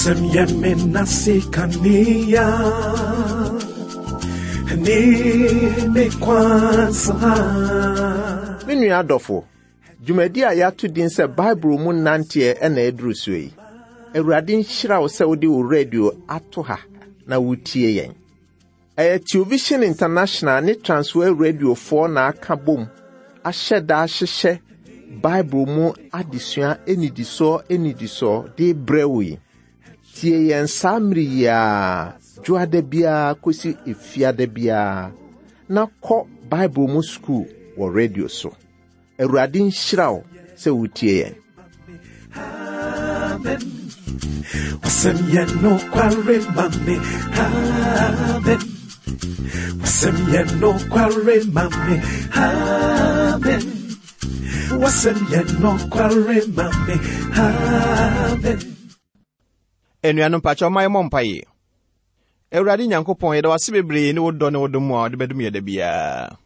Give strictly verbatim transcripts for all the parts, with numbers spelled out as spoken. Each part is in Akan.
Wasɛm yɛ me nase kanea ne me kwan so ha. Me nua adɔfo, dwumadi a yɛato din sɛ Bible mu nanteɛ ɛna ɛduru so yi. Awurade nhyira wo sɛ wode wo radio ato ha na wotie yɛn. Ɛyɛ Television International ne Transworld Radiofoɔ na aka bom ahyɛ da ahyehyɛ Bible mu adesua anidisoɔ anidisoɔ de brɛ wo yi. Tie yɛn saa mmere yi ara, dwoada biara kɔsi efiada biara, na kɔ Bible mu sukuu wɔ radio so. Awurade nhyira wo sɛ wotie yɛn. Amen. Wasɛm yɛ nokware ma me. Amen. Wasɛm yɛ nokware ma me. Amen. Wasɛm yɛ nokware ma me. Amen. Anuanom, mpakyɛw ma yɛmmɔ mpaeɛ. Awurade Nyankopɔn, yɛda wase bebree ne wo dɔ ne wo dom a wode bɛdom yɛ da biara.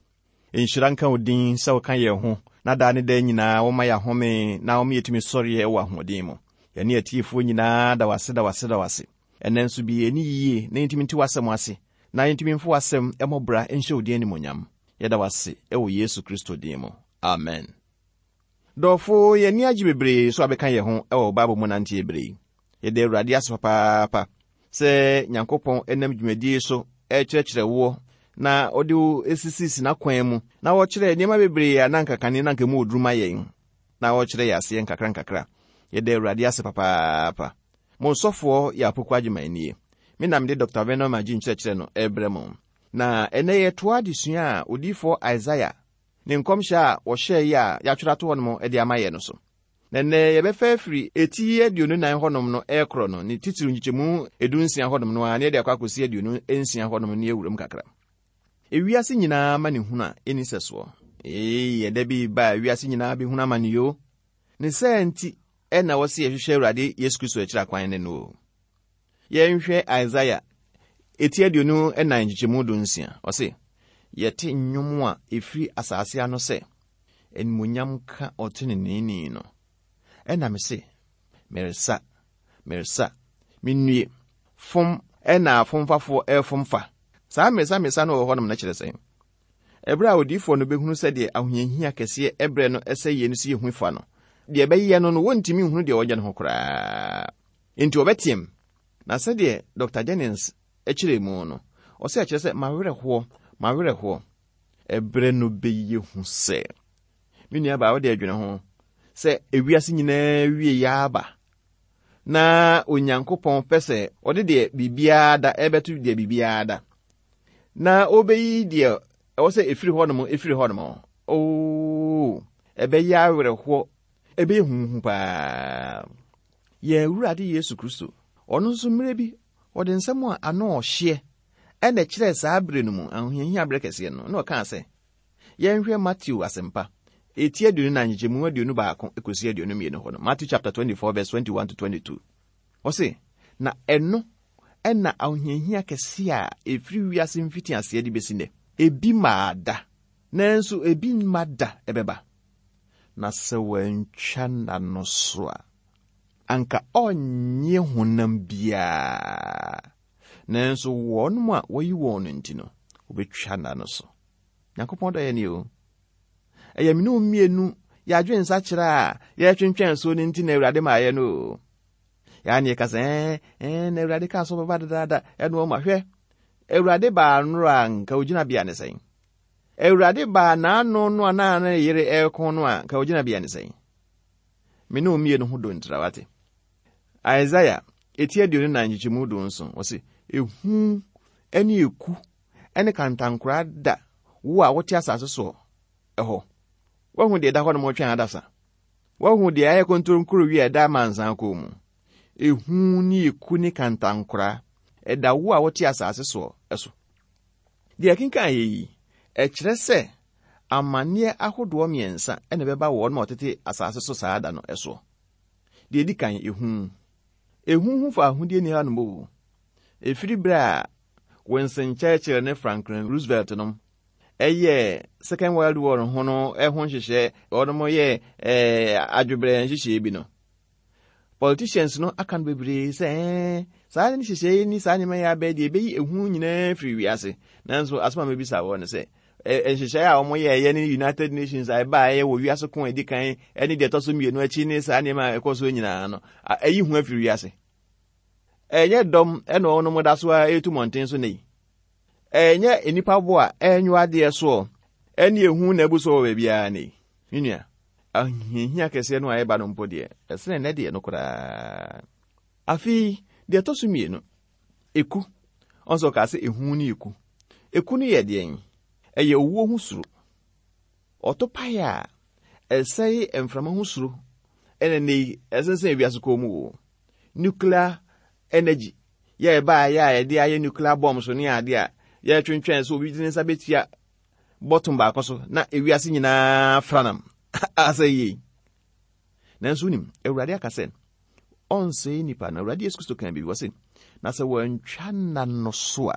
Nhyira nka wo din sɛ woka yɛn ho na daa ne daa nyinaa woma yɛ ahome na woma yɛtumi sɔreɛ wɔ ahoɔden mu. Yɛne atiefoɔ nyinaa da wase, da wase, da wase. Ɛnɛ nso bi yɛni yie na yɛntumi nte w'asɛm ase na yɛntumi mfo w'asɛm ɛmmɔ bra nhyɛ wo din animonyam. Yɛda wase ɛwɔ Yesu Kristo din mu, amen. Dɔfo, yɛni agye bebree so abɛka yɛn ho ɛwɔ Bible mu nanteɛ bere yi. Yɛda Awurade ase papaapa sɛ Nyankopɔn ɛnam dwumadie so ɛkyerɛkyerɛ woɔ na ɔde wo esisisi n'akwan mu na wɔkyerɛ nneɛma bebree a na nka kane na nka mu oduru ma yɛn na wɔkyerɛ yɛ aseɛ nkakra nkakra. Yɛda Awurade ase papaapa. Mo nsɔfoɔ yɛ Apoko Agyeman nie. Me nam de Doctor Venom agye nkyerɛkyerɛ no ɛrebrɛ mo. Na ɛnɛ yɛtoa adesua a odiyifoɔ Isaiah ne nkɔmhyɛ a wɔhyɛɛ yi a yɛatwerɛ ato hɔnom de ama yɛ no so. Na nnɛ yɛbɛfa afiri eti aduonu nan hɔnom no ɛrekorɔ no, ne titiriw nkyekyɛmu edu nsia hɔnom no a, ne yɛde akɔ akɔsi aduonu nsia hɔnom ne yɛwura mu kakra. Ewiase nyinaa ma ne hunu a ɛni sɛ soɔ. Ee, ɛda bi ba a ewiase nyinaa bɛhunu ama ne yoo. Ne sɛ nti ɛna wɔsi yɛhwehwɛ Awurade Yesu Kristo akyiri akwan ne no o. Yɛnhwɛ Isaiah eti aduonu ɛnan nkyekyɛmu du nsia. Ɔse, yɛte nnwom a ɛfiri asase ano sɛ, animuonyam ka ɔteneneeni no. Ɛna me se, meresa, meresa, mennue, fom ɛna afomfafoɔ ɛrefom fa. Saa meresa meresa no wɔ hɔnom no kyerɛ sɛn? Ɛberɛ a odiyifoɔ no bɛhunu sɛdeɛ ahohiahia kɛseɛ ɛberɛ no ɛsɛ yie no si yɛ hu fa no, deɛ ɛbɛyɛ no no, wɔntumi nhunu deɛ ɔnyɛ no ho koraa. Enti wɔbɛteam. Na sɛdeɛ Doctor Jennings kyerɛ mu no, ɔsɛ ɛkyerɛ sɛ mawerɛhoɔ, mawerɛhoɔ. Ɛberɛ no bɛyɛ hu sɛ, me nua baa, wode adwene ho sɛ ewiase nyinaa wie yɛ aba na Onyankopɔn pɛ sɛ ɔde deɛ biribiara da ɛbɛto deɛ biribiara da na ɔbɛyi deɛ ɛwɔ sɛ ɛfiri hɔnom ɛfiri hɔnom. Oo, ɛbɛyɛ awerɛhoɔ, ɛbɛyɛ huhu paa. Yɛn Awurade Yesu Kristo, ɔno nso mmerɛ bi ɔde nsɛm a ano ɔhyeɛ ɛna kyerɛɛ saa bere no mu ahohiahia berɛ kɛseɛ no, na ɔkaa sɛ, yɛnhwɛ Matthew asɛmpa eti aduonu na nkyekyɛmu aduonu baako ekosi aduonu mmienu hɔ no. Matthew chapter twenty-four verse twenty-one to twenty-two. Ɔse, na ɛno ɛna ahohiahia kɛseɛ a ɛfiri wiase mfitiaseɛ de bɛsi nnɛ, ebi maa da, nanso ebi mma da ɛbɛba. Na sɛ wɔantwa nna no so a, anka ɔnnye honam biara. Nanso wɔn a wɔyi wɔn no nti no, wɔbɛtwa nna no so. Nyankopɔn dɔ yɛn ni o. Ɛyɛ me ne wo mmienu yɛadwe nsa kyerɛ a yɛtwentwɛn so no nti na Awurade maa yɛ no o. Yɛa ne yɛka sɛ, ɛɛ, ɛɛ, na Awurade kaa so bɛba dedaada, ɛno ɔma hwɛ. Awurade baa nnora a nka ogyina bea ne sɛn? Awurade baa n'ano no a na ne yere ɛreko no a nka ogyina bea ne sɛn? Me ne wo mmienu ho do ntira wate. Isaiah eti aduonu nan nkyekyɛmu du nson, ɔse, ehu ne eku ne kantankora da wo a wote asase soɔ ɛhɔ. Woahu deɛ ɛda hɔ nom ɔtwɛn adasa. Woahu deɛ ayɛ kontonkoro wi a ɛda amansan kɔn mu. Ehu ne eku ne kantankora ɛda wo a wote asase soɔ ɛso. Deɛ ɛkenkan yɛ yi, ɛkyerɛ sɛ amanneɛ ahodoɔ mmiɛnsa ɛna ɛbɛba wɔn a wɔtete asase so saa da no ɛsoɔ. Deɛ edi kan, ehu. Ehu ho fa ahodie ni hanom o. Efiri berɛ a Winston Churchill ne Franklin Roosevelt nom ɛyɛ Second World War ho no ɛho nhyehyɛ, wɔnom yɛ ɛɛ adwobrɛ nhyehyɛ bi no. Politicians no aka no bebree sɛ ɛɛ saa ne nhyehyɛe ni saa nneɛma yi abɛɛ deɛ ɛbɛyi ehu nyinaa firi wiase. Nanso asɛm a mebisa wɔ no sɛ nhyehyɛe a wɔyɛɛyɛ ne United Nations a ɛbaeɛ wɔ wiase ko a ɛdi kan ne deɛ ɛtɔ so mmienu akyi ne saa nneɛma a ɛkɔ so nyinaa no, ɛyi hu afiri wiase. Ɛnyɛ dɔm ɛna wɔn da so a ɛretu mmɔnten so ne yi. Ɛnyɛ nnipa bo a ɛnwo adeɛ soɔ ɛne ehu na ebu so wɔ baabiara ne yi. Me nua, ahohiahia kɛseɛ no a ɛba no mpo deɛ, ɛsene nnɛ deɛ no koraa. Afei, deɛ ɛtɔ so mmienu, eku. Ɔnso ɔkaa sɛ ehu ne eku. Eku no yɛ deɛn? Ɛyɛ owuo ho suro. Ɔtopaeɛ a ɛsɛe mframa ho suro ɛna ne yi ɛsensɛn ewiase kɔn mu wɔ. Nuclear energy yɛ ɛbaeɛ a yɛde ayɛ nuclear bombs ne adeɛ a yɛtwentwɛn so obi de ne nsa bɛtua bɔtɔn baako so na ewiase nyinaa franam asɛ yie. Nanso wonim, Awurade aka sɛ ɔnsɛe nipa no. Awurade Yesu Kristo kan biribi wɔ se, na sɛ wɔantwa nna no so a,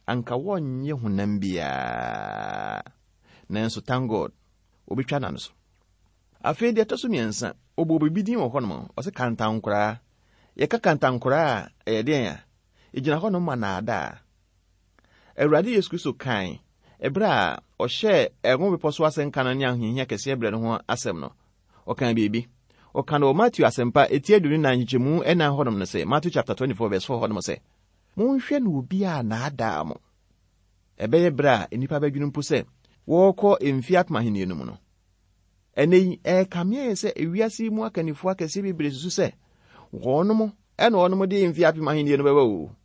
anka wɔnyɛ honam biara. Nanso thank God, obɛtwa nna no so. Afei deɛ ɛtɔ so mmiɛnsa, ɔbɔ biribi din wɔ hɔnom, ɔsɛ kantankoraa. Yɛka kantankoraa a, ɛyɛ deɛn a? Ɛgyina hɔnom ma naadaa. Awurade Yesu Kristo kan ɛberɛ a ɔhyɛɛ ɛho bepɔ so asɛnka no ne ahohiahia kɛseɛ berɛ no ho asɛm no, ɔkaa biribi. Ɔka no wɔ Matthew asɛmpa eti aduonu nan nkyekyɛmu ɛnan hɔnom no sɛ, Matthew chapter twenty-four verse four hɔnom sɛ, monhwɛ no obi a naadaa mo. Ɛbɛyɛ berɛ a nnipa bɛdwene mpo sɛ wɔrekɔ mfeɛ apem ahenni no mu no. Ɛnɛ yi, ɛrekame ayɛ sɛ ewiase mu akannifoɔ akɛseɛ bebree susu sɛ wɔnom ɛna wɔnom de mfeɛ apem ahenni no bɛba o.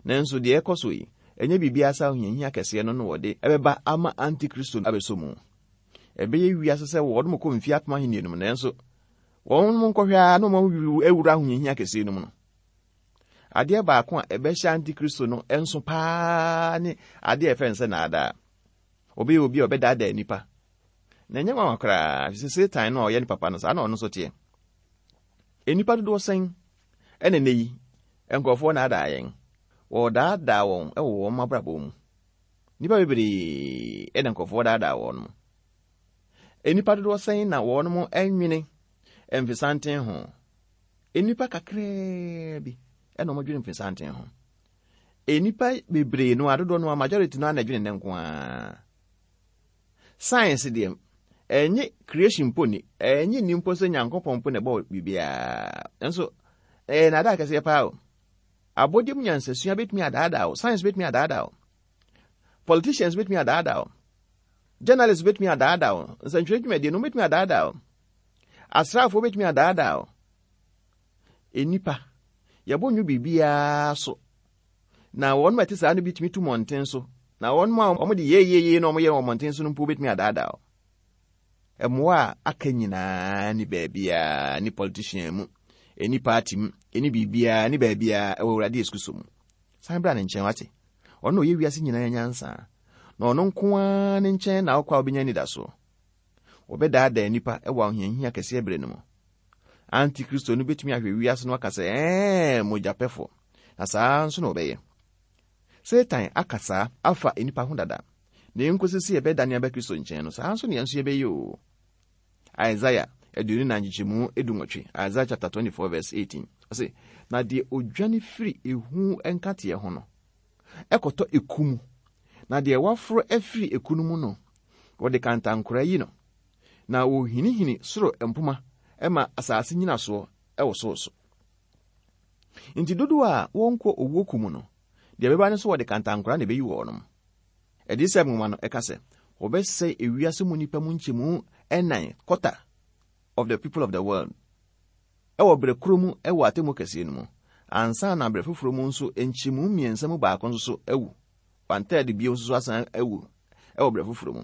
Nanso deɛ ɛkɔ so yi, ɛnyɛ biribiara sɛ ahohiahia kɛseɛ no na wɔde ɛbɛba ama Antikristo abɛsɔ mu. Ɛbɛyɛ wiase sɛ wɔnom kɔ mfeɛ apem ahenni no mu, nanso wɔnom nkɔhwɛ ara na wɔn awura ahohiahia kɛseɛ no mu no. Adeɛ baako a ɛbɛhyɛ Antikristo no nso paa ne adeɛ a ɛfɛ nsɛ naadaa. Ɔbɛyɛ obi a ɔbɛdaadaa nipa. Na ɛnyɛ nwanwa koraa, efisɛ Satan no a ɔyɛ ne papa no, saa na ɔno nso teɛ. Nnipa dodoɔ sɛn ɛna nnɛ yi nkurɔfoɔ naadaa yɛn. Wɔdaadaa wɔn wɔ wɔn abrabɔ mu. Nnipa bebree ɛna nkurɔfoɔ daadaa wɔn mo. Nnipa dodoɔ sɛn na wɔn mo nwene mfesanten ho. Nnipa kakraa bi ɛna wɔn dwene mfesanten ho. Nnipa bebree no adodoɔ no a majority no ana dwene ne nko ara. Science deɛ, ɛnyɛ creation mpo ni, ɛnyɛ ni mpo sɛ Nyankopɔn mpo na ɛbɔ biribiara. Nso ɛyɛ naadaa kɛseɛ paa o. Abɔdeɛ mu nyansasua bɛtumi adaadaa o, science bɛtumi adaadaa o, politicians bɛtumi adaadaa o, journalists bɛtumi adaadaa o, nsɛntwerɛ dwumadie no bɛtumi adaadaa o, asraafoɔ bɛtumi adaadaa o. Nnipa, yɛbɔ nwo biribiara so. Na wɔn a ɛte saa no bi tumi tu mmɔnten so. Na wɔn a wɔde yeyeye na wɔyɛ wɔ mmɔnten so no mpo bɛtumi adaadaa o. Mmoa a aka nyinaa ne baabiara, ne politician mu, ɛni party mu, ɛni biribiara, ne baabiara ɛwɔ Awurade Yesu Kristo mu. San bra ne nkyɛn wate. Ɔno na ɔyɛ wiase nyinaa nyansa. Na ɔno nko ara ne nkyɛn na wokɔ a wobɛnya anidasoɔ. Wɔbɛdaadaa nnipa ɛwɔ ahohiahia kɛseɛ berɛ no mu. Antikristo no bɛtumi ahwɛ wiase no aka sɛ, ɛɛ, mogyapɛfoɔ. Na saa nso na ɔbɛyɛ. Satan aka saa afa nnipa ho dada. Na ɛnkosi sɛ yɛbɛdane aba Kristo nkyɛn no, saa nso na yɛn nso yɛbɛyɛ o. Isaiah aduonu nan nkyekyɛmu dunwɔtwe, Isaiah chapter twenty-four verse eighteen. Ɔse, na deɛ odwane firi ehu nkateɛ ho no, ɛkɔtɔ eku mu. Na deɛ waforo afiri eku no mu no, wɔde kantankora yi no. Na wɔhinihini soro mpoma ɛma asase nyinasoɔ ɛwɔ so. Nti dodoɔ a wɔnkɔ owuo ku mu no, deɛ ɛbɛba ne so wɔde kantankora na ɛbɛyi wɔn. Adiyisɛm nwoma no ɛka sɛ, wɔbɛsɛe ewiase mu nnipa mu nkyɛmu ɛnan, quarter of the people of the world, ɛwɔ berɛ koro mu ɛwɔ atemmu kɛseɛ no mu. Ansa na berɛ foforɔ mu nso nkyɛmu mmiɛnsa mu baako nso so awu. One third bio nso so asan awu ɛwɔ berɛ foforɔ mu.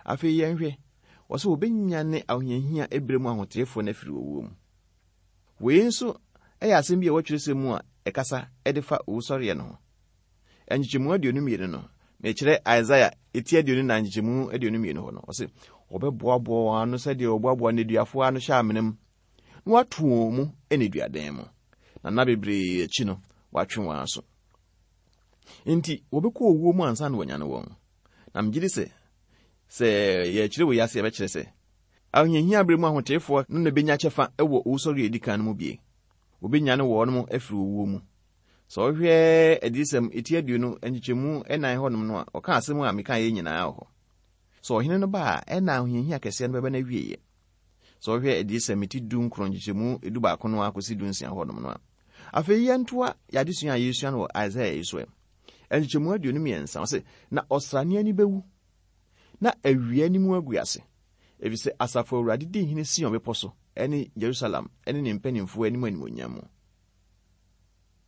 Afei yɛnhwɛ, wɔsɛ wɔbɛnyane ahohiahia ɛberɛ mu ahoteefoɔ no afiri owuo mu. Wei nso ɛyɛ asɛm bi a ɛwɔ twerɛsɛm mu a ɛkasa ɛde fa owusɔreɛ no ho. Nkyekyɛmu aduonu mmienu no, mekyerɛ Isaiah eti aduonu nan nkyekyɛmu aduonu mmienu hɔ no, ɔse wɔbɛboaboa wɔn ano sɛdeɛ wɔboaboa nneduafoɔ ano hyɛ amena mu, na wɔato wɔn mu nneduadan mu. Na nna bebree akyi no, wɔatwe wɔn aso. Nti wɔbɛkɔ owuo mu ansa na wɔanyane wɔn. Na megye di sɛ, sɛ yɛkyerɛ wɔ yi ase yɛbɛkyerɛ sɛ Ahohiahia bere mu ahoteefoɔ no na benya kyɛfa wɔ owusɔre a edi kan no mu bie. Wobenyane wɔn afiri owuo mu. Sɛ ɔhwɛ Adiyisɛm eti aduonu nkyekyɛmu ɛnan hɔnom no a, ɔka asɛm a meka yɛ nyinaa wɔ hɔ. Sɛ ɔhene no ba a, ɛna ahohiahia kɛseɛ no bɛba n'awieeɛ. Sɛ ɔhwɛ Adiyisɛm eti du nkron nkyekyɛmu edu baako no akɔsi du nsia hɔnom no a. Afei yɛntoa yɛadesua a yɛsua no wɔ Isaiah yi so ɛ. Nkyekyɛmu aduonu mmiɛnsa, ɔse, na ɔsrane ani bɛwu, na awia anim agu ase, efisɛ asafo Awurade di hene Sion bepɔ so, ɛne Jerusalem, ɛne ne mpanimfoɔ anim animuonyam mu.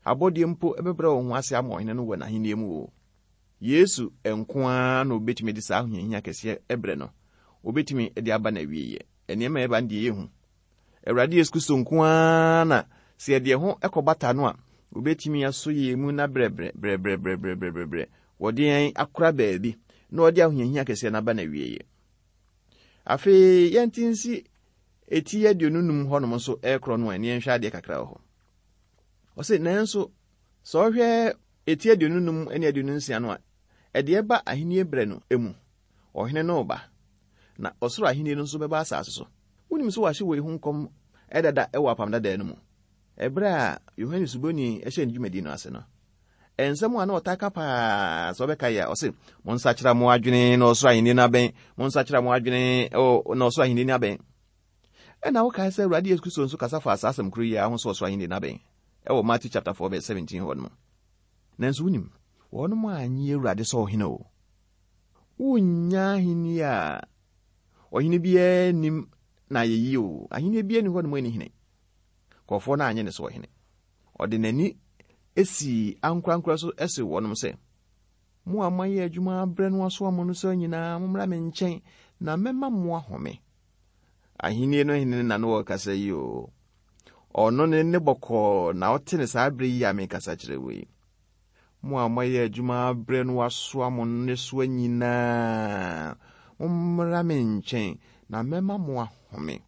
Abɔdeɛ mpo ɛbɛbrɛ wɔn ho ase ama ɔhene no wɔ n'ahenni mu o. Yesu nko ara na obetumi de saa ahohiahia kɛseɛ ɛbrɛ no. Obetumi de aba n'awieeɛ. Nneɛma a ɛba no deɛ yɛhu. Awurade Yesu Kristo nko ara na sɛ yɛde ho ɛkɔbata no a, obetumi aso yɛn mu na brɛbrɛ brɛbrɛ brɛbrɛ brɛbrɛ wɔde yɛn akora baabi na ɔde ahohiahia kɛseɛ no aba n'awieeɛ. Afei yɛnte nsi eti aduonu num hɔnom nso ɛrekorɔ no a, ɛne yɛnhwɛ adeɛ kakra wɔ hɔ. Ɔse nanso sɛ ɔhwɛ eti aduonu num ne aduonu nsia no a, ɛde ɛba ahenni berɛ no mu. Ɔhene no reba, na ɔsoro ahenni no nso bɛba asase so. Wonim sɛ wɔahyɛ wei ho nkɔm ɛdada ɛwɔ apam dadaa no mu. Ɛberɛ a Yohane Suboni ɛhyɛ ne dwumadi no ase no, nsɛm a na ɔtaa ka paa sɛ ɔbɛka yɛ a, ɔse, monsakyera mo adwene na ɔsoro ahenni no abɛn, monsakyera mo adwene na ɔsoro ahenni no abɛn. Ɛna wokae sɛ Awurade Yesu Kristo nso kasa fa saa asɛm koro yi a ho sɛ ɔsoro ahenni no abɛn ɛwɔ Matthew chapter four verse seventeen hɔ nom. Nanso wonim, wɔnom annye Awurade sɛ ɔhene o. Wonnya ahenni a ɔhene biara nim na ayɛyie o. Ahenni biara ni hɔ nom ani hene. Kɔfoɔ no anyɛ ne sɛ ɔhene. Ɔde n'ani esi ankorankora so ɛse wɔnom sɛ, mo a moayɛ adwuma abrɛ no aso amo no sɛ nyinaa, mommra me nkyɛn na mɛma mo ahome. Ahenni no hene na no wɔkasa yi o. Ɔno ne ne bɔkɔɔ na ɔte ne saa bere yi a mekasa kyerɛ wo yi. Mo a moayɛ adwuma abrɛ no asoa mo nnesoa nyinaa, mommra me nkyɛn na mɛma mo ahome.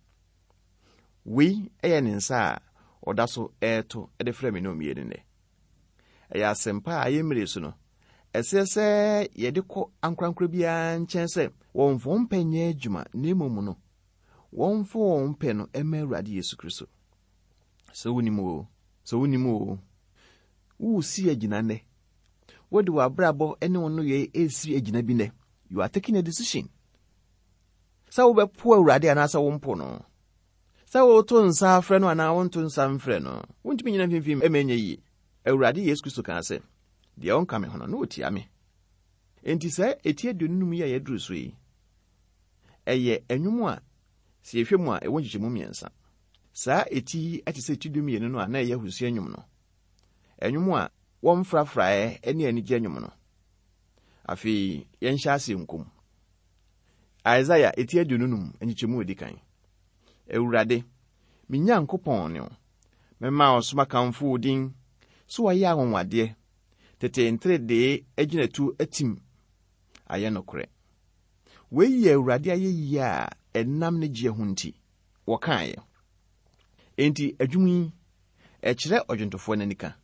Wei ɛyɛ ne nsa a ɔda so ɛreto de frɛ me ne mmienu nnɛ. Ɛyɛ asɛmpa a ɛyɛ mmere so no, ɛsɛ sɛ yɛde kɔ ankorankora biara nkyɛn sɛ wɔmfa wɔn pɛ nyɛ adwuma, na mmom no, wɔmfa wɔn pɛ no ɛma Awurade Yesu Kristo. Sɛ wonim o, sɛ wonim o, woresi agyina nnɛ. Wode w'abrabɔ ne wo nneyɛe esi agyina bi nnɛ. You are taking a decision. Sɛ wobɛpo Awurade anaasɛ wompo no. Sɛ woto nsa afrɛ no anaa wonto nsa mfrɛ no, wontumi nyina mfimfini ɛma ɛnyɛ yie. Awurade Yesu Kristo kaa sɛ, deɛ ɔnka me ho no, na ɔtia me. Enti sɛ eti aduonu num yi a yɛduru so yi, ɛyɛ nnwom a sɛ yɛhwɛ mu a ɛwɔ nkyekyɛmu mmiɛnsa. Saa eti yi ɛte sɛ ti du mmienu no a na ɛyɛ ahusua nnwom no. Nnwom a wɔmfrafraeɛ ne anigye nnwom no. Afei yɛnhyɛ ase nkom. Isaiah eti aduonu num nkyekyɛmu edi kan. Awurade, me Nyankopɔn ne wo. Mɛma ɔsom akamfo wo din, so wɔayɛ anwanwadeɛ. Tete nteredee agyinatu atim ayɛ nokorɛ. Wei yɛ Awurade ayɛyie a ɛnam ne gyeɛ ho nti, wɔkaeɛ. Enti adwum yi, ɛkyerɛ ɔdwontofoɔ n'anika.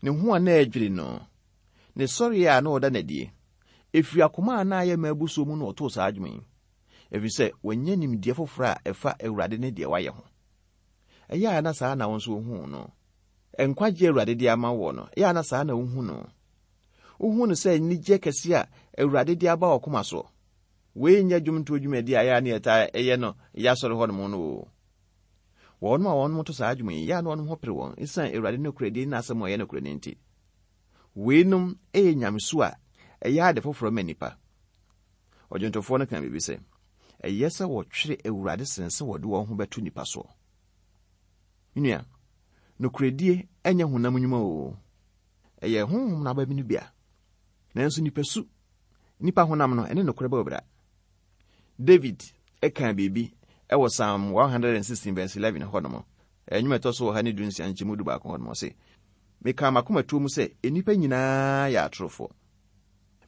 Ne ho a na ɛdwiri no, ne sɔreɛ a na ɔda n'adie, ɛfiri akoma a na ayɛ ma abusuo mu na ɔtoo saa adwuma yi. Ɛfiri sɛ, wanya nimdeɛ foforɔ a ɛfa Awurade ne deɛ wayɛ ho. Ɛyɛ a na saa na wo nso wohuu no. Nkwagye Awurade de ama wɔ no, ɛyɛ a na saa na wohu no. Wohu no sɛ anigye kɛse a Awurade de aba wɔ koma soɔ. Wei nyɛ dwomtoɔ dwumadi a ɛyɛ a ne yɛtaa ɛyɛ no yɛ asɔre hɔnom no o. Wɔnom a wɔnom to saa adwuma yi, yɛ a na wɔnom ho pere wɔn, ɛsiane Awurade nokorɛdie ne n'asɛm a ɛyɛ nokorɛ no nti. Weinom ɛyɛ nyamesu a ɛyɛ ade foforɔ ma nnipa. Ɔdwontofoɔ no ka biribi sɛ, ɛyɛ sɛ wɔtwere Awurade sen sɛ wɔde wɔn ho bɛto nnipa soɔ. Nua, nokorɛdie ɛnyɛ honam nnwuma o. Ɛyɛ honhom no aba bi no bi a. Nanso nipasu, nipa honam no, ɛne nokorɛ bɛ bra. David ɛka biribi ɛwɔ Psalm one hundred and sixteen verse eleven hɔ nom. Ɛnwom ɛtɔ so wɔ ha ne du nsia nkyɛmu du baako hɔ nom ɔse, meka m'akomatuo mu sɛ nnipa nyinaa yɛ atorofoɔ.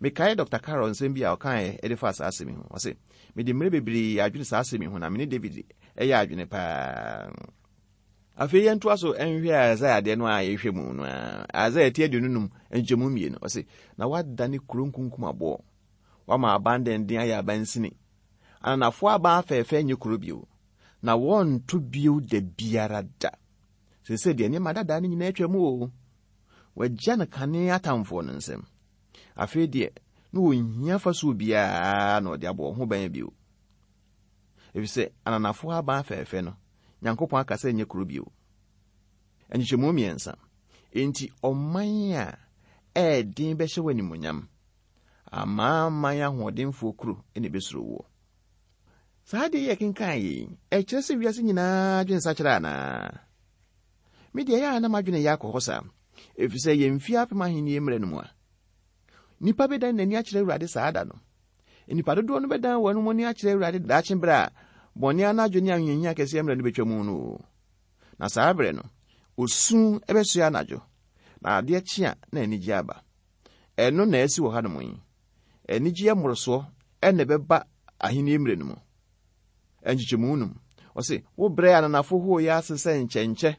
Mekae Doctor Carroll nsɛm bi a ɔkaeɛ ɛde fa saa asɛm yi ho. Ɔse, mede mmerɛ bebree adwene saa asɛm yi ho na me ne David ɛyɛ adwene paa. Afei yɛntoa so nhwɛ Isaiah deɛ no a yɛhwɛ mu no a. Isaiah ti aduonu num nkyɛmu mmienu. Ɔse, na wadane kuro nkunkum aboɔ. Wama aban denden ayɛ abansini. Ananafoɔ aban afɛɛfɛ nyɛ kuro bio, na wɔnto bio da biara da. Seesei deɛ nneɛma dadaa no nyinaa atwa mu o. Wɔagya no kane atamfoɔ no nsam. Afei deɛ, na wɔnhia fasuo biara na ɔde abɔ wɔn ho ban bio. Efisɛ ananafoɔ aban fɛɛfɛ no, Nyankopɔn aka sɛ nyɛ kuro bio. Nkyekyɛmu mmiɛnsa. Enti ɔman a ɛɛden bɛhyɛ wɔ animuonyam. Amanaman ahoɔdenfoɔ kuro na ebesuro woɔ. Saa adeɛ yi a yɛkenkan yi, ɛkyerɛ sɛ wiase nyinaa dwene nsakyera anaa? Me deɛ ɛyɛ a na m'adwene yɛ akɔ hɔ saa, efisɛ yɛn mfie apem ahenni mmerɛ no mu a, nnipa bɛdan n'ani akyerɛ Awurade saa da no. Nnipa dodoɔ no bɛdan wɔn ani akyerɛ Awurade daakye berɛ a bɔne anadwo ne ahohiahia kɛseɛ mmerɛ no bɛtwa mu no. Na saa berɛ no, osu bɛsoɛ anadwo, na adeɛ kye a na anigye aba. Ɛno na asi wɔ hanom yi. Anigye mmorosoɔ ɛna ɛbɛba ahenni mmerɛ no mu. Nkyekyɛmu num. Ɔse, wo brɛ ananafo hooyɛ ase sɛ nkyɛnkyɛ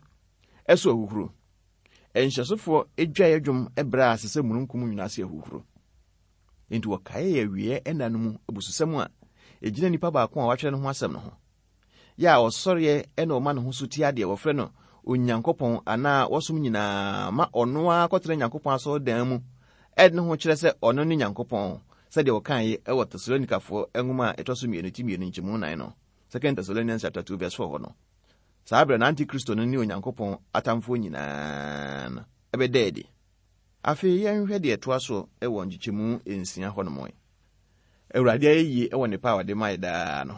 ɛso ahuhuro. Nhyɛsofoɔ adwaeɛ dwom brɛ ase sɛ mununkum nwunu ase ahuhuro. Enti wɔkae yɛ awieɛ ɛna no mu abususɛm a ɛgyina nipa baako a watwerɛ ne ho asɛm no ho. Yɛ a ɔsɔreɛ ɛna ɔma ne ho so tia deɛ wɔfrɛ no Onyankopɔn anaa wɔsom nyinaa ma ɔno ara kɔtena Nyankopɔn asɔredan mu ɛde ne ho kyerɛ sɛ ɔno ne Nyankopɔn sɛdeɛ wɔkaeɛ ɛwɔ Tesalonikafoɔ nwoma a ɛtɔ so mmienu ti mmienu nkyɛmu nan no. Second Thessalonians chapter two verse four hɔ no. Saa berɛ no Antikristo no ne Onyankopɔn atamfoɔ nyinaa no ɛbɛda adi. Afei yɛnhwɛ deɛ ɛtoa so ɛwɔ nkyekyɛmu nsia hɔ nom yi. Awurade ayɛ yie ɛwɔ nnepa a ɔde ma yɛ daa no.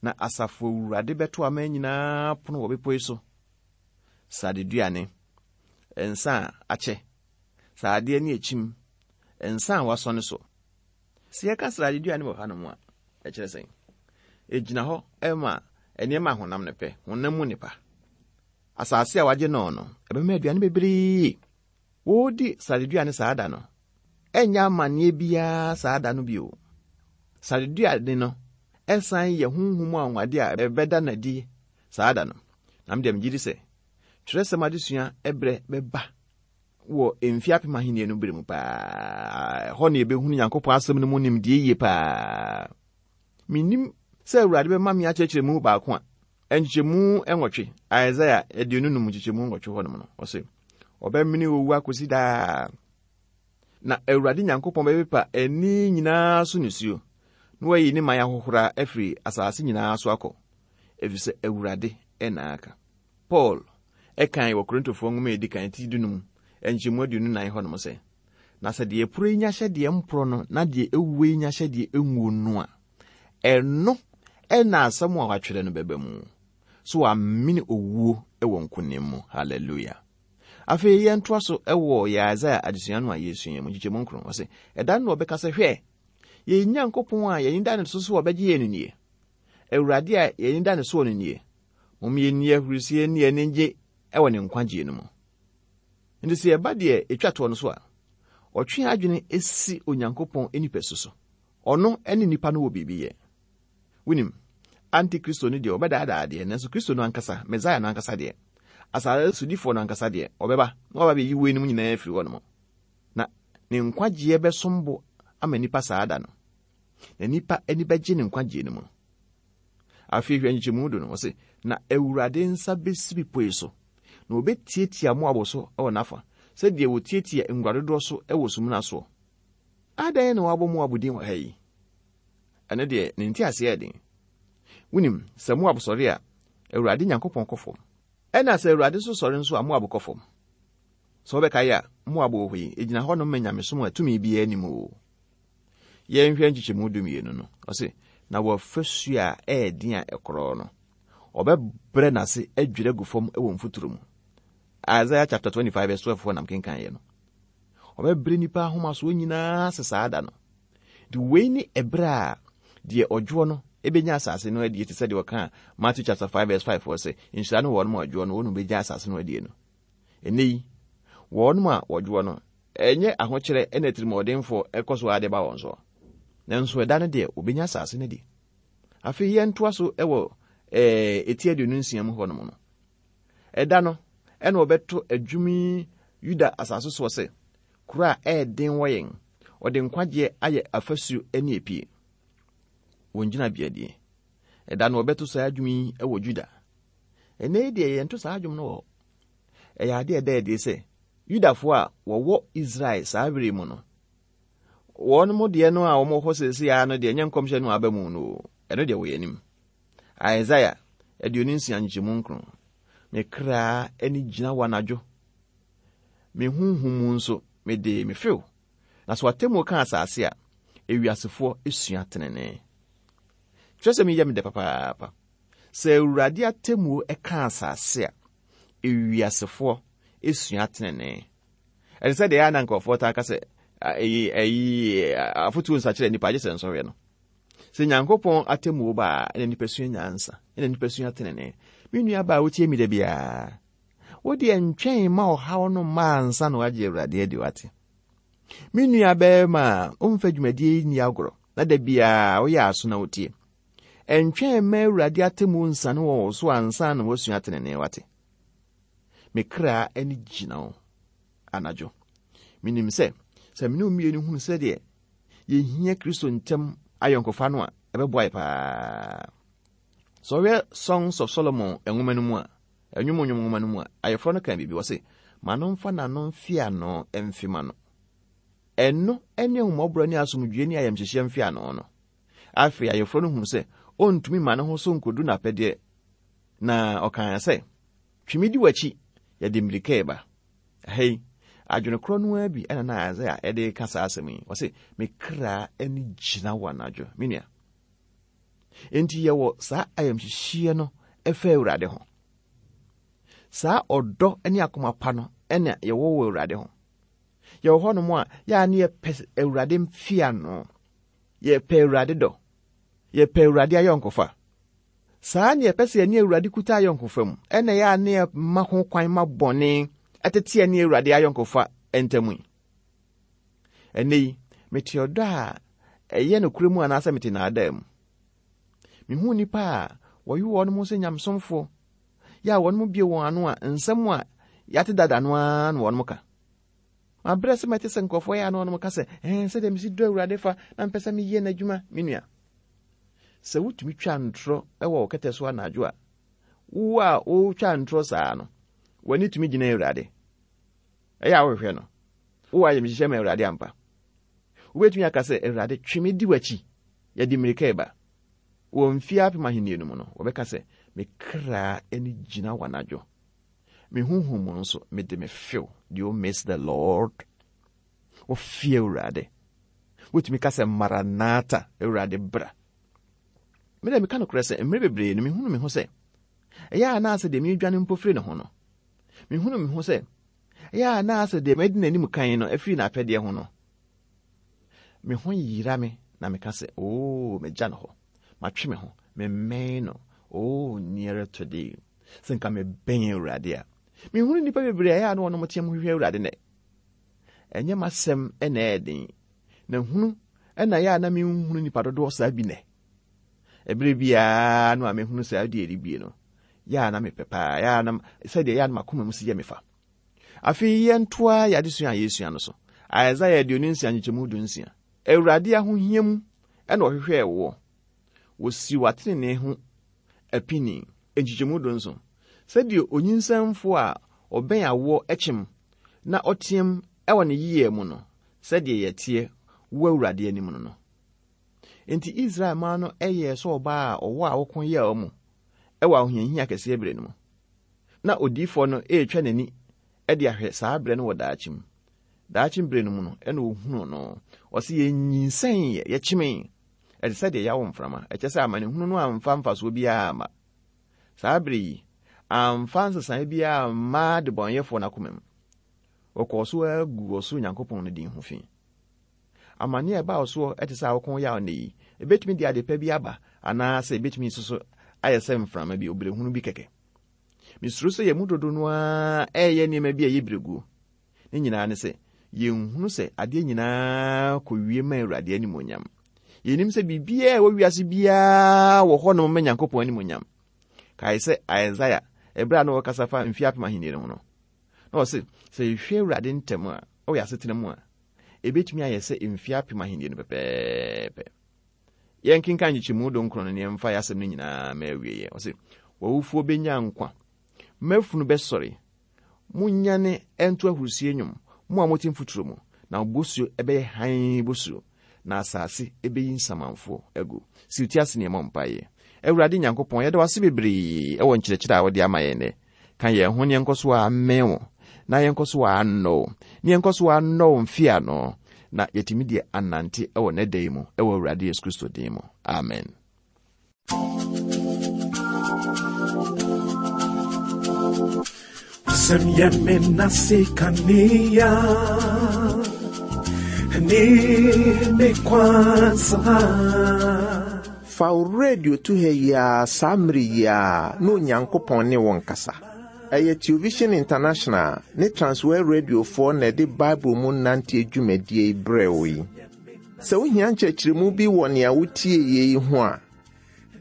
Na asafo Awurade bɛto aman nyinaa pono wɔ bepɔ yi so. Sadeduane, nsa a akyɛ, sradeɛ ne akyim, nsa a wasɔne so. Sɛ yɛka sradeduane wɔ hanom a, ɛkyerɛ sɛn? Ɛgyina hɔ ɛma nneɛma a honam no pɛ, honam mu nipa. Asase a wagye no no, ɛbɛma aduane bebree. Wɔredi sradeduane saa da no, ɛnyɛ amanneɛ biara saa da no bio. Sradeduane no ɛsan yɛ honhom anwanwadeɛ a ɛbɛda n'adi saa da no. Na me deɛ megye di sɛ twerɛsɛm adesua ɛberɛ bɛba wɔ mfe apem ahenni no bere mu paa. Ɛhɔ na yɛbɛhunu Nyankopɔn asɛm no mu nimdeɛ yie paa. Menim sɛ Awurade bɛma me akyerɛkyerɛ mu baako a nkyekyɛmu nwɔtwe, Isaiah aduonu num nkyekyɛmu nwɔtwe hɔnom no, ɔse ɔbɛmene owu akɔsi daa. Na Awurade Nyankopɔn bɛpepa ani nyinaa so nisuo, na wayi ne man ahohora afiri asase nyinaa so akɔ, efisɛ Awurade ɛna aka. Paul ɛkan wɔ Korintofoɔ nwoma a edi kan ti dunum nkyɛmu aduonu nan hɔnom sɛ, na sɛ deɛ ɛporɔ yi nya hyɛ deɛ mporɔ no na deɛ ɛwuo yi nya hyɛ deɛ ɛnwuo no a, ɛno ɛna asɛm a watwerɛ no bɛba mu. So wamene owuo ɛwɔ nkonim mu. Hallelujah. Afei yɛntoa so ɛwɔ yɛ Isaiah adesua no a yɛsua mu nkyekyɛmu nkron. Ɔse, ɛda no na ɔbɛka sɛ, hwɛ, yɛn Nyankopɔn a yɛn da ne so so ɔbɛgye yɛn no nie. Awurade a yɛn da ne soɔ no nie. Mom yɛnni ahurisie ne yɛn ani gye ɛwɔ ne nkwagyeɛ no mu. Nti sɛ yɛba deɛ ɛtwa toɔ no so a, ɔtwe adwene esi Onyankopɔn nipasu so. Ɔno ne nipa no wɔ biribi yɛ. Wonim, Antikristo no deɛ ɔbɛdaadaa deɛ, nanso Kristo no ankasa, Mesaia no ankasa deɛ, asase sodifoɔ no ankasa deɛ, ɔbɛba na waba abɛyi weinom nyinaa afiri hɔ nom. Na ne nkwagyeɛ bɛsom bo ama nipa saa da no. Na nipa ani bɛgye ne nkwagyeɛ no mu. Afei hwɛ nkyekyɛmu du no, ɔse, na Awurade nsa bɛsi bepɔ yi so, na wɔbɛtiatia Moab so wɔ n'afa, sɛdeɛ wɔtiatia ngua dodoɔ so wɔ sumina soɔ. Adɛn na wɔabɔ Moab din wɔ ha yi? Ɛno deɛ, ne nteaseɛ yɛ den. Wonim, sɛ Moab sɔre a, Awurade Nyankopɔn kɔ fam. Ɛna sɛ Awurade nso sɔre nso a, Moab kɔ fam. Sɛ wobɛkae a, Moab wɔ hɔ yi, ɛgyina hɔnom ma nyamesom a tumi biara nnim o. Yɛnhwɛ nkyekyɛmu dumienu no. Ɔse, na wɔafasuo a ɛyɛ den a ɛkorɔ no, ɔbɛbrɛ n'ase adwiri agu fam wɔ mfuturo mu. Isaiah chapter twenty-five verse twelve hɔ nam kenkan yɛ no. Ɔbɛbrɛ nipa ahomasoɔ nyinaa ase saa da no. De wei ne ɛberɛ a deɛ ɔdwoɔ no ebenya asase no adie te sɛ deɛ ɔka Matthew chapter five verse five hɔ sɛ, nhyira no wɔnom a ɔdwoɔ no, wɔnom bɛgya asase no adie no. Ɛnnɛ yi, wɔnom a wɔdwoɔ no, ɛnyɛ ahokyerɛ ɛna atirimuɔdenfoɔ ɛkɔ so ade ba wɔn so. Nanso ɛda no deɛ, wɔbɛnya asase no adi. Afei yɛntoa so ɛwɔ, ɛɛ, eti aduonu nsia mu hɔnom no. Ɛda no, ɛna wɔbɛto adwumi Yuda asase soɔ sɛ, kuro a ɛyɛ den wɔ yɛn, ɔde nkwagyeɛ ayɛ afasuo ne epie. Wɔn gyinabea die. Ɛda no wɔbɛto saa dwom yi wɔ Juda. Ɛnnɛ yi deɛ yɛnto saa dwom no wɔ hɔ. Ɛyɛ adeɛ a ɛda adi sɛ Yudafoɔ a wɔwɔ Israel saa bere mu no, wɔn mo deɛ no a wɔwɔ hɔ seesei ara no deɛ ɛnyɛ nkɔmhyɛ no aba mu no, ɛno deɛ wɔyɛ anim. Isaiah aduonu nsia nkyɛmu nkron. Me kra ani gyina wɔ anadwo. Me honhom mu nso mede me few. Na so atemmuo ka asase a, ewiasefoɔ esua tenenee. Kyerɛ sɛ meyɛ me dɛ papaapa. Sɛ Awurade atemmuo ka asase a, ewiasefoɔ esua tenenee. Ɛte sɛ deɛ ɛyɛ a na nkurɔfoɔ taa ka sɛ ɛyi ɛyi afotuo nsakyerɛ nipa agye sɛ nsɔhwɛ no. Sɛ Nyankopɔn atemmuo ba a, ɛna nipa sua nyansa, ɛna nipa sua tenenee. Me nua baa wotie mi da biara. Wo deɛ ntwɛn ma ɔhaw no mma ansa na wagye Awurade adi wate. Me nua bɛrima a ɔmfa dwumadie yi nni agorɔ na da biara woyɛ aso na wotie. Ɛntwɛn ma Awurade atemmuo nsane wɔ wo so ansa na wasua tenenee wate. Me kra ani gyina wo anadwo. Menim sɛ, sɛ me ne wo mmienu hunu sɛdeɛ yɛhia Kristo ntam ayɔnkofa no a, ɛbɛboa yɛ paa. Sɛ ɔhwɛ Songs of Solomon nwoma no mu a, ɛnwom nnwom nwoma no mu a, ayɛforɔ no ka biribi wɔ se, ma no mfa n'ano mfe ano mfe ma no. Ɛno ne ahummɔborɔ ne asomdwoeɛ ne ayamhyehyeɛ mfe ano no. Afei ayɛforɔ no hunu sɛ ɔntumi ma ne ho so nkodu n'apɛdeɛ, na ɔkaa sɛ, twe me di w'akyi, yɛde mmirika ɛba. Ɛha adwene korɔ no ara bi ɛna na Isaiah ɛde ka saa asɛm yi. Ɔse, me kra ani gyina wɔ anadwo. Me nua. Enti yɛwɔ saa ayamhyehyeɛ no ɛfa Awurade ho. Saa ɔdɔ ne akoma pa no ɛna yɛwɔ wɔ Awurade ho. Yɛwɔ hɔnom a yɛa ne yɛpɛ Awurade mfeano. Yɛpɛ Awurade dɔ. Yɛpɛ Awurade ayɔnkofa. Saa ne yɛpɛ sɛ yɛne Awurade kuta ayɔnkofa mu. Ɛna yɛa ne yɛma ho kwan ma bɔne ɛtete yɛne Awurade ayɔnkofa ntam yi. Ɛnnɛ yi, mete ɔdɔ a ɛyɛ nokorɛ mu anaasɛ mete naadaa mu. Mehu nnipa a wɔyi wɔn ho sɛ nyamesomfoɔ, yɛ a wɔn mu bie wɔn ano a nsɛm a yɛate dada no ara na wɔn ka. Mabrɛ sɛ mɛte sɛ nkurɔfoɔ yɛ a na wɔn ka sɛ, ɛn sɛdeɛ mesi dɔ Awurade fa na mpɛ sɛ meyɛ n'adwuma, me nua. Sɛ wotumi twa ntorɔ wɔ wo kɛtɛ so anadwo a, wo a wotwa ntorɔ saa no, w'ani tumi gyina Awurade. Ɛyɛ a wohwehwɛ no. Wowɔ ayamhyehyɛ ma Awurade ampa. Wobɛtumi aka sɛ, Awurade, twe me di w'akyi. Yɛde mmirika ɛba. Wɔ mfeɛ apem ahenni no mu no, wɔbɛka sɛ, me kra ani gyina wɔ anadwo. Me honhom mu nso, mede me few. Do you miss the Lord? Wofie Awurade. Wotumi ka sɛ, Maranatha, Awurade bra. Me dɛ meka nokorɛ sɛ, mmerɛ bebree no, mehunu me ho sɛ, ɛyɛ a na asɛ deɛ meredwane mpo firi ne ho no. Mehunu me ho sɛ, ɛyɛ a na asɛ deɛ madi n'anim kan no afiri n'apɛdeɛ ho no. Me ho yera me na meka sɛ, oo, megya no hɔ. Matwe me ho, memmɛn no. Oh, nearer to thee. Sɛ nka mebɛn Awurade a. Mehunu nnipa bebree a ɛyɛ a na wɔnom teɛ mu hwehwɛ Awurade nɛ. Ɛnyɛ m'asɛm ɛna ɛyɛ den. Na hunu ɛna ɛyɛ a na menhunu nnipa dodoɔ saa bi nɛ. Ɛberɛ biara no a mehunu saa deɛ ɛrebie no, yɛ a na mepɛ paa, yɛ a na sɛdeɛ yɛ a na m'akoma mu si yɛ me fa. Afei yɛntoa yɛ adesua a yɛsua no so. Isaiah aduonu nsia nkyekyɛmu du nsia. Awurade ahohia mu ɛna ɔhwehwɛɛ woɔ. Wɔsi w'atenenee ho apini. Nkyekyɛmu du nson. Sɛdeɛ onyinsɛnfoɔ a ɔbɛn awoɔ kyem na ɔteam ɛwɔ ne yie mu no, sɛdeɛ yɛteɛ wɔ Awurade anim no no. Enti Israel man no ɛyɛɛ sɛ ɔbaa a ɔwɔ a ɔko yɛɛ mu ɛwɔ ahohiahia kɛseɛ berɛ no mu. Na odiyifoɔ no ɛretwa n'ani ɛde ahwɛ saa berɛ no wɔ daakye mu. Daakye berɛ no mu no, ɛna ohunuu no. Ɔse yɛnyinsɛn yɛ, yɛkyemee. Ɛte sɛ deɛ yɛawo mframa. Ɛkyɛ sɛ amanehunu no amfa mfasoɔ biara amma. Saa berɛ yi, amfa nsesaeɛ biara amma adebɔnyɛfoɔ n'akoma mu. Wɔkɔɔ so agu ɔsoro Nyankopɔn no din ho fi. Amane a ɛbaa soɔ ɛte sɛ awoko yaw nnɛ yi, ebetumi de ade pa bi aba anaasɛ ebetumi nso so ayɛ sɛ mframa bi, obrɛhunu bi kɛkɛ. Mesuro sɛ yɛn mu dodo no ara ɛreyɛ nneɛma bi a ɛyɛ berɛguo. Ne nyinaa ne sɛ, yɛnhunu sɛ adeɛ nyinaa kɔwie ma Awurade animuonyam. Yɛnim sɛ biribiara a ɛwɔ wiase biara wɔ hɔnom ma Nyankopɔn animuonyam. Kae sɛ Isaiah, ɛberɛ a na wɔkasa fa mfeɛ apem ahenni no ho no, na ɔse, sɛ yɛhwɛ Awurade ntɛm a, ɛwɔ yɛn asetena mu a, ebetumi ayɛ sɛ mfeɛ apem ahenni no pɛpɛɛpɛ. Yɛnkenkan nkyekyɛmu dunkron no ne yɛmfa yɛ asɛm no nyinaa ma awieɛ. Ɔse, w'awufoɔ bɛnya nkwa, m'afunu bɛsɔre. Monnyane ɛnto ahurusie nnwom, mo a mote mfuturo mu, na bosuo ɛbɛyɛ hann bosuo, na asase ɛbɛyi nsamanfoɔ agu. Si wo ti ase ne yɛmmɔ mpaeɛ. Awurade Nyankopɔn, yɛda wo ase bebree ɛwɔ nkyerɛkyerɛ a wode ama yɛn nnɛ. Ka yɛn ho ne yɛnkɔ so ammɛn wo, na yɛnkɔ so annɔ wo, ne yɛnkɔ so annɔ wo mfe ano, na yɛtumi deɛ anante ɛwɔ ne da yi mu, ɛwɔ Awurade Yesu Kristo din mu. Amen. Wasɛm yɛ me nase kanea ne me kwansa. Fa wo radio to ha yi ara saa mmere yi ara na Onyankopɔn ne wo nkasa. Ɛyɛ Television International ne Transworld Radiofoɔ na ɛde Bible mu nante dwumadie yi brɛ wo yi. Sɛ wohia nkyerɛkyerɛmu bi wɔ nea wotie yi ho a,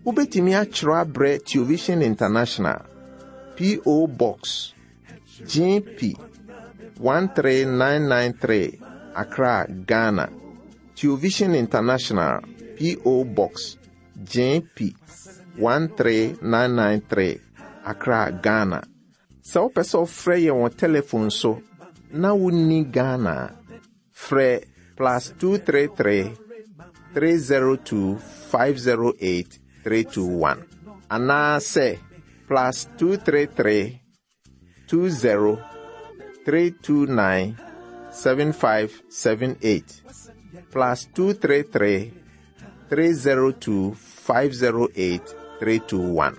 wobɛtumi atwerɛ abrɛ Television International, P O. Box G P one three nine nine three, Accra, Ghana. Television International, P O. Box G P one three nine nine three, Accra, Ghana. Sɛ wopɛ sɛ wofrɛ yɛn wɔ telephone so na wonni Ghana a, frɛ plus two three three, three zero two five zero eight three two one anaasɛ plus two three three, two zero, three two nine seven five seven eight, plus two three three, three zero two five zero eight three two one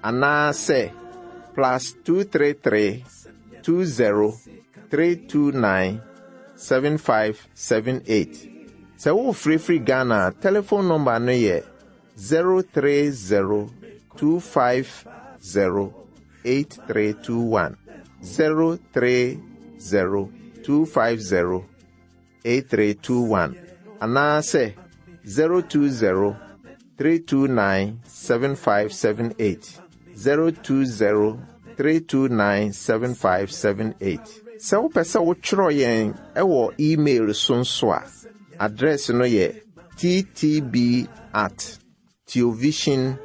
anaasɛ plus two three three, two zero, three two nine seven five seven eight. Sɛ wofirifiri Ghana a, telephone number no yɛ zero three zero, two five zero eight three two one, zero three zero, two five zero eight three two one anaasɛ zero two zero, three two nine seven five seven eight, zero two zero, three two nine seven five seven eight. Sɛ wopɛ sɛ wotwerɛ yɛn ɛwɔ email so nso a, address no yɛ T T B at theovision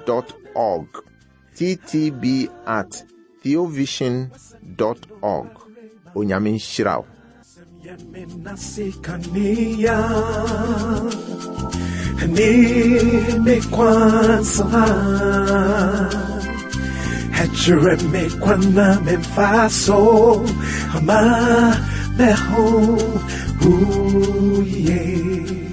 dot org, T T B at theovision dot org. Onyame nhyira wo. Yɛ me nase kanea ne me kwansa. Ɛkyerɛ me kwan na memfa so ama meho wo yie.